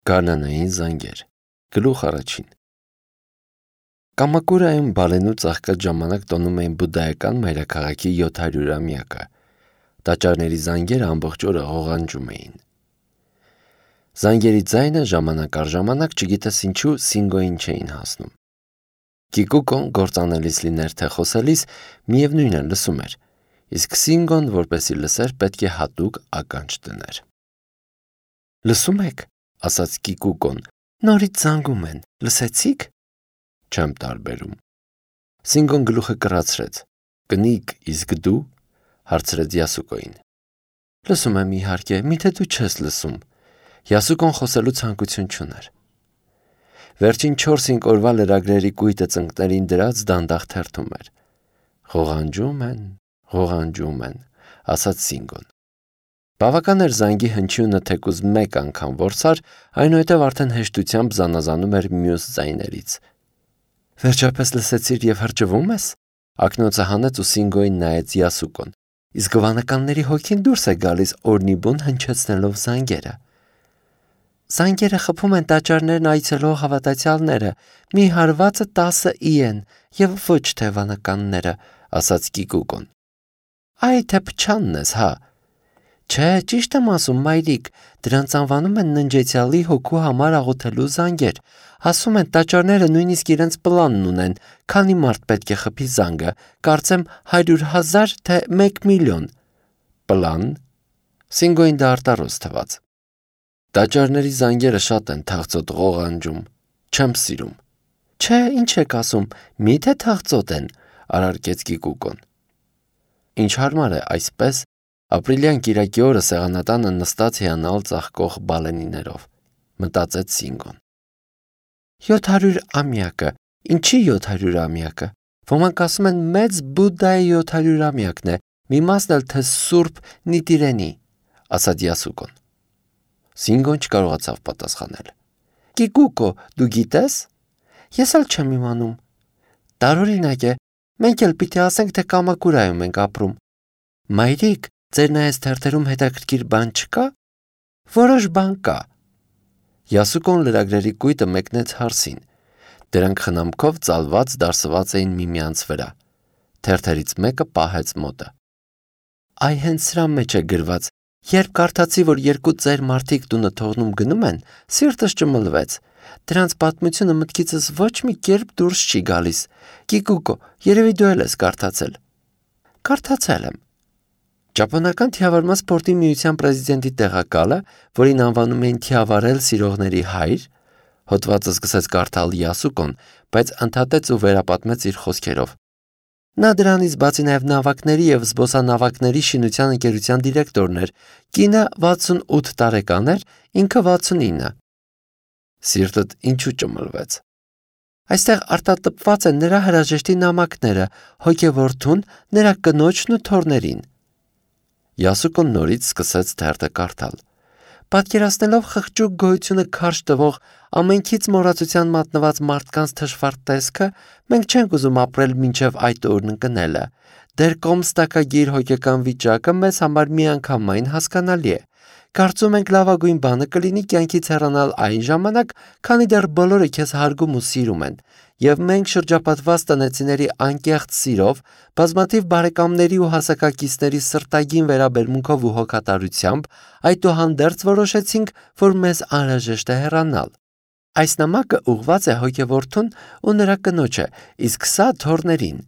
Գարնանային զանգեր։ Գլուխ առաջին։ Կամակուրայում Բալենու ծաղկած ժամանակ տոնում էին բուդդայական մայրաքաղաքի 700-ամյակը։ Տաճարների զանգերը ամբողջ օրը ղողանջում էին։ Զանգերի ձայնը ժամանակ առ ժամանակ չգիտես ինչու Սինգոյին չէին հասնում։ Կիկուկոն գործանելիս լիներ թե խոսելիս միևնույն է լսում էր, իսկ Սինգոն որպեսի լսեր պետք է հատուկ ականջ դներ։ Լսում եք, ասաց Կիկուկոն, նորից զանգում են, լսեցի՞ք։ Չեմ տարբերում։ Սինգոն գլուխը կռացրեց։ Կնիկ, իսկ դու, հարցրեց Յասուկոին։ Լսում եմ իհարկե, միթե դու չես լսում։ Յասուկոն խոսելու ցանկություն չուներ։ Վերջին 4-5 օրվա լրագրերի կույտը ծնկներին դրած դանդաղ թերթում էր։ Ղողանջում են, ասաց Սինգոն։ Բավական էր զանգի հնչյունը թեկուզ մեկ անգամ որսար, այնուհետև արդեն հեշտությամբ զանազանում էր մյուս ձայներից։ Վերջապես լսեցիր և հրճվում ես։ Ակնոցը հանեց ու Սինգոյին նայեց Յասուկոն։ Իսկ վանականների հոգին դուրս է գալիս օրնիբուն հնչեցնելով զանգերը։ Զանգերը խփում են տաճարներն այցելող հավատացյալները, մի հարվածը 10 ի են, և ոչ թե վանականները, ասաց Կիկուկոն։ Այ թե փչանն ես, հա։ Չէ, ճիշտ եմ ասում, մայրիկ, դրանց անվանում են ննջեցյալի հոգու համար աղոթելու զանգեր։ Ասում են տաճարները նույնիսկ իրենց պլանն ունեն, քանի մարդ պետք է խփի զանգը, կարծեմ 100,000 թե 1 միլիոն։ Պլան։ Սինգոյին դա արտարոց թվաց։ Տաճարների զանգերը շատ են թախծոտ ղողանջում։ Չեմ սիրում։ Չէ, ինչ եք ասում, միթե թախծոտ են, արարքեց Կիկուկոն։ Ինչ հարմար է այսպես ապրիլյան կիրակի օրը սեղանատանը նստած հիանալ ծաղկող բալենիներով, մտածեց Սինգոն։ 700-ամյակը, ինչի 700-ամյակը։ Ոմանք ասում են մեծ Բուդդայի 700-ամյակն է, մի մասն էլ թե Սուրբ Նիտիրենի, ասաց Յասուկոն։ Սինգոն չկարողացավ պատասխանել։ Կիկուկո, դու գիտես։ Ես էլ չեմ իմանում։ Տարօրինակ է, մենք էլ պիտի ասենք, թե Կամակուրայում ենք ապրում։ Մայրիկ, ձեր նայած թերթերում հետաքրքիր բան չկա։ Որոշ բան կա։ Յասուկոն լրագրերի կույտը մեկնեց հարսին։ Դրանք խնամքով ծալված դարսված էին միմյանց վրա։ Թերթերից մեկը պահեց մոտը։ Այ հենց սրա մեջ է գրված։ Երբ կարդացի, որ 2 ծեր մարդիկ տունը թողնում գնում են, սիրտս ճմլվեց։ Դրանց պատմությունը մտքիցս ոչ մի կերպ դուրս չի գալիս։ Կիկուկո, երևի դու էլ ես կարդացել։ Կարդացել եմ։ Ճապոնական թիավարման սպորտի միության պրեզիդենտի տեղակալը, որին անվանում էին թիավարել սիրողների հայր, հոդվածը սկսեց կարդալ Յասուկոն, բայց ընդհատեց ու վերապատմեց իր խոսքերով։ Նա դրանից բացի նաև նավակների և զբոսանավակների շինության ընկերության դիրեկտորն էր, կինը 68 տարեկան էր, ինքը 69։ Սիրտդ ինչու ճմլվեց։ Այստեղ արտատպված են նրա հրաժեշտի նամակները, հոգևորթուն, նրա կնոջն ու թոռներին։ Յասուկոն նորից սկսեց թերթը կարդալ։ Պատկերացնելով խղճուկ գոյությունը քարշ տվող ամենքից մոռացության մատնված մարդկանց թշվառ տեսքը, մենք չենք ուզում ապրել մինչև այդ օրն ընկնելը։ Դեր կոմստակագիր հոգեկան վիճակը մեզ համար միանգամայն հասկանալի է։ Կարծում ենք լավագույն բանը կլինի կյանքից հեռանալ այն ժամանակ, քանի դեռ բոլորը քեզ հարգում ու սիրում են, և մենք շրջապատված տնեցիների անկեղծ սիրով, բազմաթիվ բարեկամների ու հասակակիցների սրտագին վերաբերմունքով ու հոգատարությամբ, այդուհանդերձ որոշեցինք, որ մեզ անհրաժեշտ է հեռանալ։ Այս նամակը ուղղված է հոգևորթուն ու նրա կնոջը, իսկ սա թոռներին։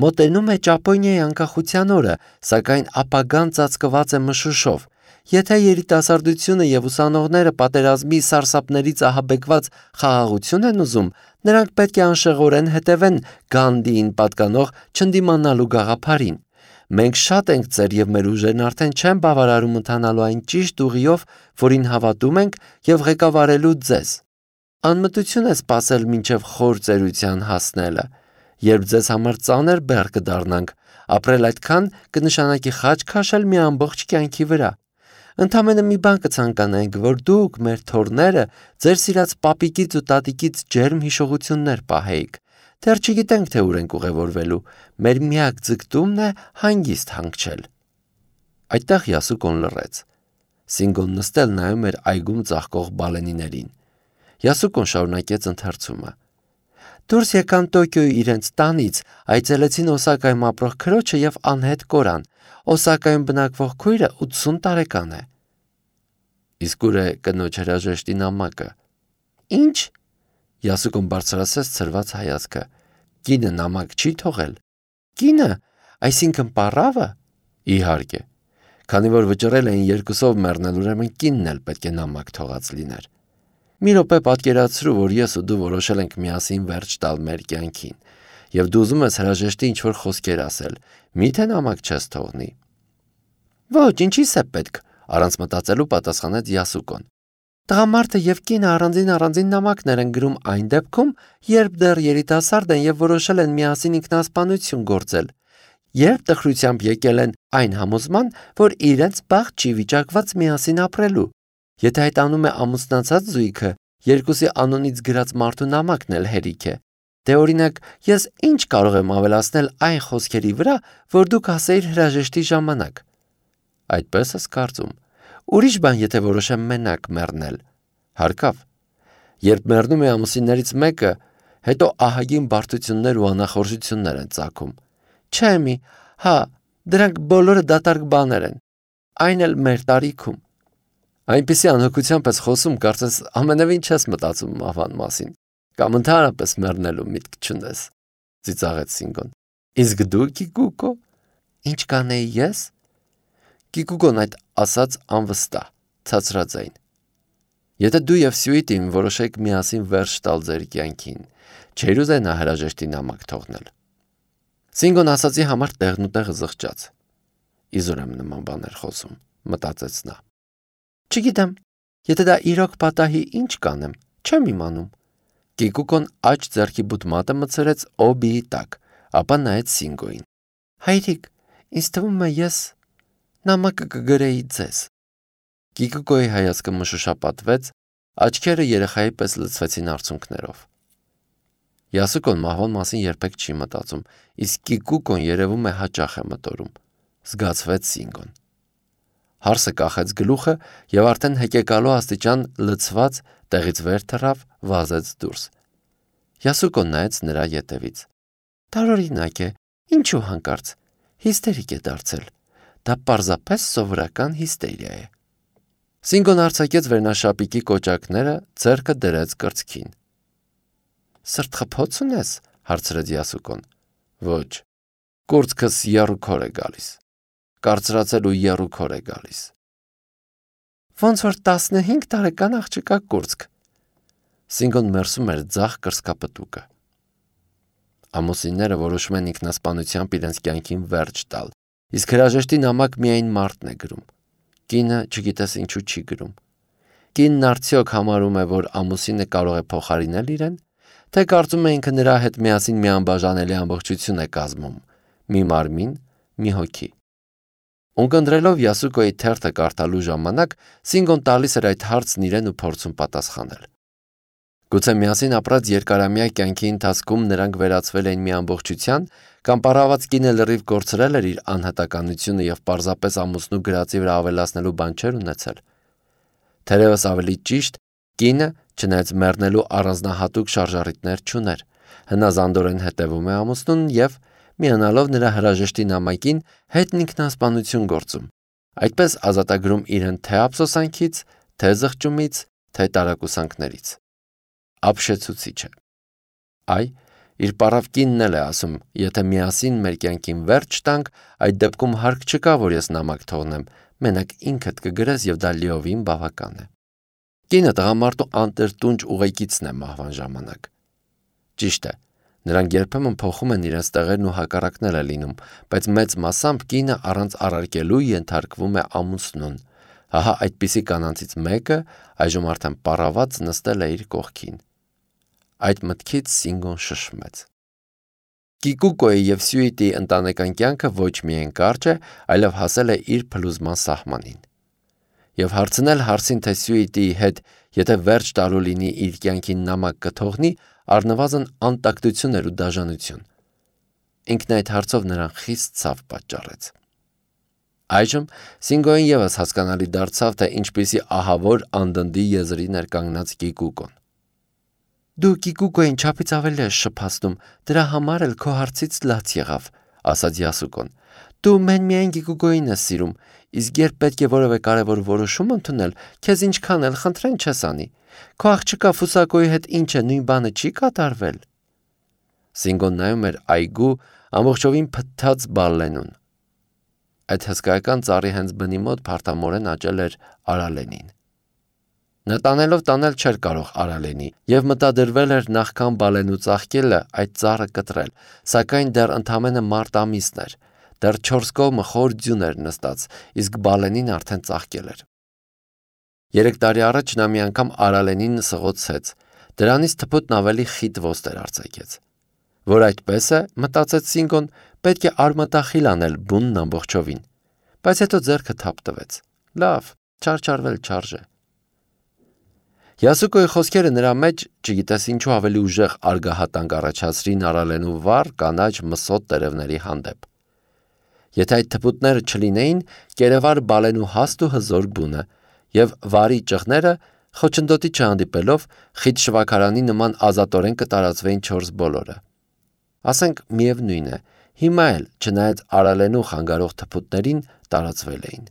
Մոտենում է Ճապոնիայի անկախության օրը, սակայն ապագան ծածկված է մշուշով։ Եթե երիտասարդությունը և ուսանողները պատերազմի սարսափներից ահաբեկված խաղաղություն են ուզում, նրանք պետք է անշեղորեն հետևեն Գանդիին պատկանող չընդդիմանալու գաղափարին։ Մենք շատ ենք ծեր և մեր ուժերն արդեն չեն բավարարում ընթանալու այն ճիշտ ուղիով, որին հավատում ենք և ղեկավարելու ձեզ։ Անմտություն է սպասել մինչև խոր ծերության հասնելը։ Երբ ձեզ համար ծանր բեռ կդառնանք, ապրել այդքան կնշանակի խաչ քաշել մի ամբողջ կյանքի վրա։ Ընդամենը մի բան կցանկանայինք, որ դուք, մեր թոռները, ձեր սիրած պապիկից ու տատիկից ջերմ հիշողություններ պահեիք։ Դեռ չգիտենք, թե ուր ենք ուղևորվելու։ Մեր միակ ձգտումն է հանգիստ հանգչել։ Այդտեղ Յասուկոն լռեց։ Սինգոն նստել նայում էր այգում ծաղկող բալենիներին։ Յասուկոն շարունակեց ընթերցումը։ Դուրս եկան Տոկիոյի իրենց տանից, այցելեցին Օսակայում ապրող քրոջը և անհետ կորան։ Օսակայում բնակվող քույրը 80 տարեկան է։ Իսկ ուր է կնոջ հրաժեշտի նամակը։ Ինչ։ Յասուկոն բարձրացրեց ցրված հայացքը։ Կինը նամակ չի թողել։ Կինը, այսինքն պառավը։ Իհարկե։ Քանի որ վճռել էին երկուսով մեռնել, ուրեմն կինն էլ պետք է նամակ թողած լիներ։ Մի րոպե պատկերացրու, որ ես ու դու որոշել ենք միասին վերջ տալ մեր կյանքին, եւ դու ուզում ես հրաժեշտի ինչ-որ խոսքեր ասել, մի՞թե նամակ չես թողնի։ Ոչ, ինչի՞ս է պետք, առանց մտածելու պատասխանեց Յասուկոն։ Տղամարդը եւ կինը առանձին նամակներ են գրում այն դեպքում, երբ դեռ երիտասարդ են եւ որոշել են միասին ինքնասպանություն գործել, երբ տխրությամբ եկել են այն համոզման, որ իրենց բախտ չի վիճակված միասին ապրելու։ Եթե այդ անում է ամուսնացած զույգը, երկուսի անունից գրած մարդու նամակն էլ հերիք է։ Դե օրինակ, ես ինչ կարող եմ ավելացնել այն խոսքերի վրա, որ դուք ասեիր հրաժեշտի ժամանակ։ Այդպես ես կարծում։ Ուրիշ բան, եթե որոշեմ մենակ մեռնել։ Հարկավ։ Երբ մեռնում է ամուսիններից մեկը, հետո ահագին բարդություններ ու անախորժություններ են ծագում։ Չէ՞ մի, հա, դրանք բոլորը դատարկ բաներ են։ Այն էլ մեր տարիքում։ Այնպիսի անհոգությամբ ես խոսում, կարծես ամենևին չես մտածում մահվան մասին, կամ ընդհանրապես մեռնելու միտք չունես, ծիծաղեց Սինգոն։ Իսկ դու, Կիկուկո, ինչ կանեի ես։ Կիկուկոն այդ ասաց անվստահ, ցածրաձայն։ Եթե դու եւ Սյուիտին որոշեք միասին վերջ տալ ձեր կյանքին, չէր ուզենա հրաժեշտի նամակ թողնել։ Սինգոն ասացի համար տեղնուտեղը զղջաց։ Իզուր եմ նման բաներ խոսում, մտածեց նա։ Չգիտեմ, եթե դա իրոք պատահի, ինչ կանեմ, չեմ իմանում։ Կիկուկոն աջ ձեռքի բութմատը մցրեց օբիի տակ, ապա նայեց Սինգոյին։ Հայրիկ, ինձ թվում է ես նամակը կգրեի ձեզ։ Կիկուկոյի հայացքը մշուշապատվեց, աչքերը երեխայի պես լցվեցին արցունքներով։ Յասուկոն մահվան մասին երբեք չի մտածում, իսկ Կիկուկոն երևում է հաճախ է մտորում, զգացվեց Սինգոն։ Հարսը կախեց գլուխը եւ արդեն հեկեկալու աստիճան լցված տեղից վեր թռավ, վազեց դուրս։ Յասուկոն նայեց նրա ետևից։ Տարօրինակ է, ինչու հանկարծ, հիստերիկ է դարձել։ Դա պարզապես սովորական հիստերիա է։ Սինգոն արձակեց վերնաշապիկի կոճակները, ձեռքը դրեց կրծքին։ Սրտխփոց ունես, հարցրեց Յասուկոն։ Ոչ, կուրծքս եռուքոր է գալիս։ Կարծրացել ու եռուքոր է գալիս։ Ոնց որ 15 տարեկան աղջկա կուրծք։ Սինգոն մերսում էր ձախ կրծքապտուկը։ Ամուսինները որոշում են ինքնասպանությամբ իրենց կյանքին վերջ տալ, իսկ հրաժեշտի նամակ միայն մարդն է գրում։ Կինը չգիտես ինչու չի գրում։ Կինն արդյոք համարում է, որ ամուսինը կարող է փոխարինել իրեն, թե կարծում է ինքը նրա հետ միասին մի անբաժանելի ամբողջություն է կազմում, մի մարմին, մի հոգի։ Ունկնդրելով Յասուկոյի թերթը կարդալու ժամանակ, Սինգոն տալիս էր այդ հարցն իրեն ու փորձում պատասխանել։ Գուցե միասին ապրած երկարամյա կյանքի ընթացքում նրանք վերածվել էին մի ամբողջության, կամ պարաված կինը լրիվ կորցրել էր իր անհատականությունը եւ պարզապես ամուսնու գրածի վրա ավելացնելու բան չէր ունեցել։ Թերևս ավելի ճիշտ, կինը, չնայած մեռնելու առանձնահատուկ շարժառիթներ չուներ, հնազանդորեն հետևում է ամուսնուն եւ միանալով նրա հրաժեշտի նամակին հետն ինքնասպանություն գործում, այդպես ազատագրում իրեն թե ափսոսանքից, թե զղջումից, թե տարակուսանքներից։ Ապշեցուցիչ է։ Այ, իր պարավ կինն էլ է ասում, եթե միասին մեր կյանքին վերջ տանք, այդ դեպքում հարկ չկա, որ ես նամակ թողնեմ, մենակ ինքդ կգրես եւ դա լիովին բավական է։ Կինը տղամարդու անտրտունջ ուղեկիցն է մահվան ժամանակ։ Ճիշտ է, նրանք երբեմն փոխում են իրենց տեղերն ու հակառակն է լինում, բայց մեծ մասամբ կինը առանց առարկելու ենթարկվում է ամուսնուն։ Ահա այդպիսի կանանցից մեկը այժմ արդեն պառաված նստել է իր կողքին։ Այդ մտքից Սինգոն շշմեց։ Կիկուկոյի եւ Սյուիտի ընտանեկան կյանքը ոչ միայն կարճ է, այլև հասել է իր փլուզման սահմանին։ Եվ հարցնել հարցին, թե Սյուիտիի հետ, եթե վերջ տալու լինի իր կյանքին նամակ կթողնի, առնվազն անտակտություն էր ու դաժանություն։ Ինքն այդ հարցով նրան խիստ ցավ պատճառեց։ Այժմ Սինգոին ևս հասկանալի դարձավ, թե ինչպիսի ահավոր անդնդի եզրի ներկանգնած Կիկուկոն։ «Դու Կիկուկոյին չափից ավելի ես շփացնում, դրա համար էլ քո հարցից լաց եղավ», ասաց Յասուկոն։ «Դու միայն Կիկուկոյին ես սիրում, իսկ երբ պետք է որևէ կարևոր որոշում ընդունել, քեզ ինչքան էլ խնդրեն չես անի։ Քո աղջկա Ֆուսակոյի հետ ինչ է, նույն բանը չի կատարվել»։ Սինգոն նայում էր այգու ամբողջովին փթթած Բալենուն։ Այդ հսկայական ծառի հենց բնի մոտ փարթամորեն աճել էր արալենին։ Նա տանելով տանել չէր կարող արալենի և մտադրվել էր նախքան Բալենու ծաղկելը այդ ծառը կտրել, սակայն դեռ ընդամենը մարտ ամիսն էր, դեռ 4 կողմը խոր ձյուն էր նստած, իսկ Բալենին արդեն ծաղկել էր։ 3 տարի առաջ նա մի անգամ արալենին սղոցեց, դրանից թփուտն ավելի խիտ ոստ էր արձակեց։ Որ այդպես է, մտածեց Սինգոն, պետք է արմատախիլ անել բունն ամբողջովին, բայց հետո ձեռքը թափ տվեց։ Լավ, չարչարվել չարժե։ Յասուկոյի խոսքերը նրա մեջ, չգիտես ինչու ավելի ուժեղ արգահատանք առաջացրին արալենու վառ կանաչ մսոտ տերևների հանդեպ։ Եթե այդ թփուտները չլինեին, կերևար Բալենու հաստ ու հզոր բունը, և վարի ճղները, խոչընդոտի չհանդիպելով, խիտ շվաքարանի նման ազատորեն կտարածվեին 4 բոլորը։ Ասենք միևնույն է, հիմա էլ, չնայած արալենու խանգարող թփուտներին, տարածվել էին։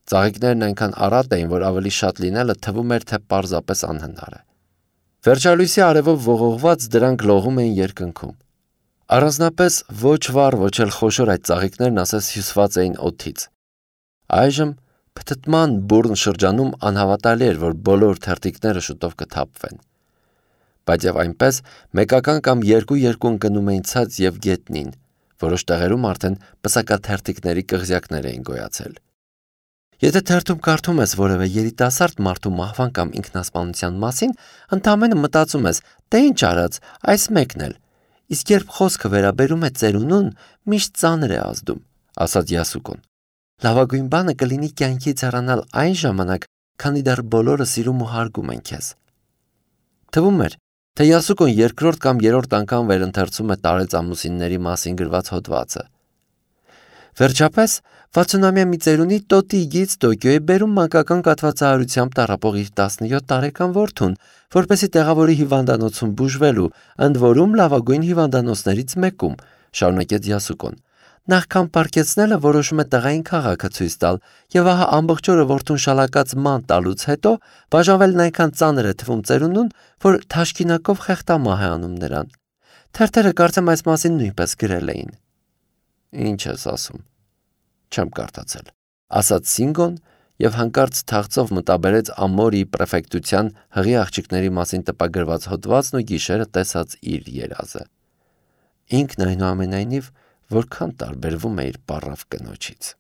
Ծաղիկներն այնքան առատ էին, որ ավելի շատ լինելը թվում էր, թե պարզապես անհնար է։ Վերջալույսի արևով ողողված դրանք լողում էին երկնքում։ Առանձնապես ոչ վառ, ոչ էլ խոշոր այդ ծաղիկներն ասես հյուսված էին օդից։ Այժմ փթթման բուռն շրջանում անհավատալի էր, որ բոլոր թերթիկները շուտով կթափվեն։ Բայց եւ այնպես մեկական կամ երկու ընկնում էին ցած եւ գետնին, որոշ տեղերում արդեն պսակաթերթիկների կղզյակներ էին գոյացել։ Եթե թերթում կարդում ես որևէ երիտասարդ մարդու մահվան կամ ինքնասպանության մասին, ընդամենը մտածում ես, թե ինչ արած, այս մեկն էլ, իսկ երբ խոսքը վերաբերում է ծերունուն, միշտ ծանր է ազդում, ասաց Յասուկոն։ Լավագույն բանը կլինի կյանքից հեռանալ այն ժամանակ, քանի դեռ բոլորը սիրում ու հարգում են քեզ։ Թվում էր, թե Յասուկոն երկրորդ կամ երրորդ անգամ վերընթերցում է տարեց ամուսինների մասին գրված հոդվածը։ Վերջապես 60-ամյա մի ծերունի տոտիգից Տոկիո է բերում մանկական կաթվածահարությամբ տառապող իր 17 տարեկան որդուն, որպեսզի տեղավորի հիվանդանոցում բուժվելու, ընդ որում լավագույն հիվանդանոցներից մեկում, շարունակեց Յասուկոն։ Նախքան պառկեցնելը որոշում է տղային քաղաքը ցույց տալ, եւ ահա ամբողջ օրը որդուն շալակած ման տալուց հետո բաժանվելն այնքան ծանր է թվում ծերունուն, որ թաշկինակով խեղդամահ է անում նրան։ Թերթերը կարծեմ այս մասին նույնպես գրել էին։ Ինչ ես ասում։ Չեմ կարդացել, ասաց Սինգոն եւ հանկարծ թախծով մտաբերեց Ամորիի պրեֆեկտության հղի աղջիկների մասին տպագրված հոդվածն ու գիշերը տեսած իր երազը։ Ինքն այնուամենայնիվ որքան տարբերվում է իր պառավ կնոջից։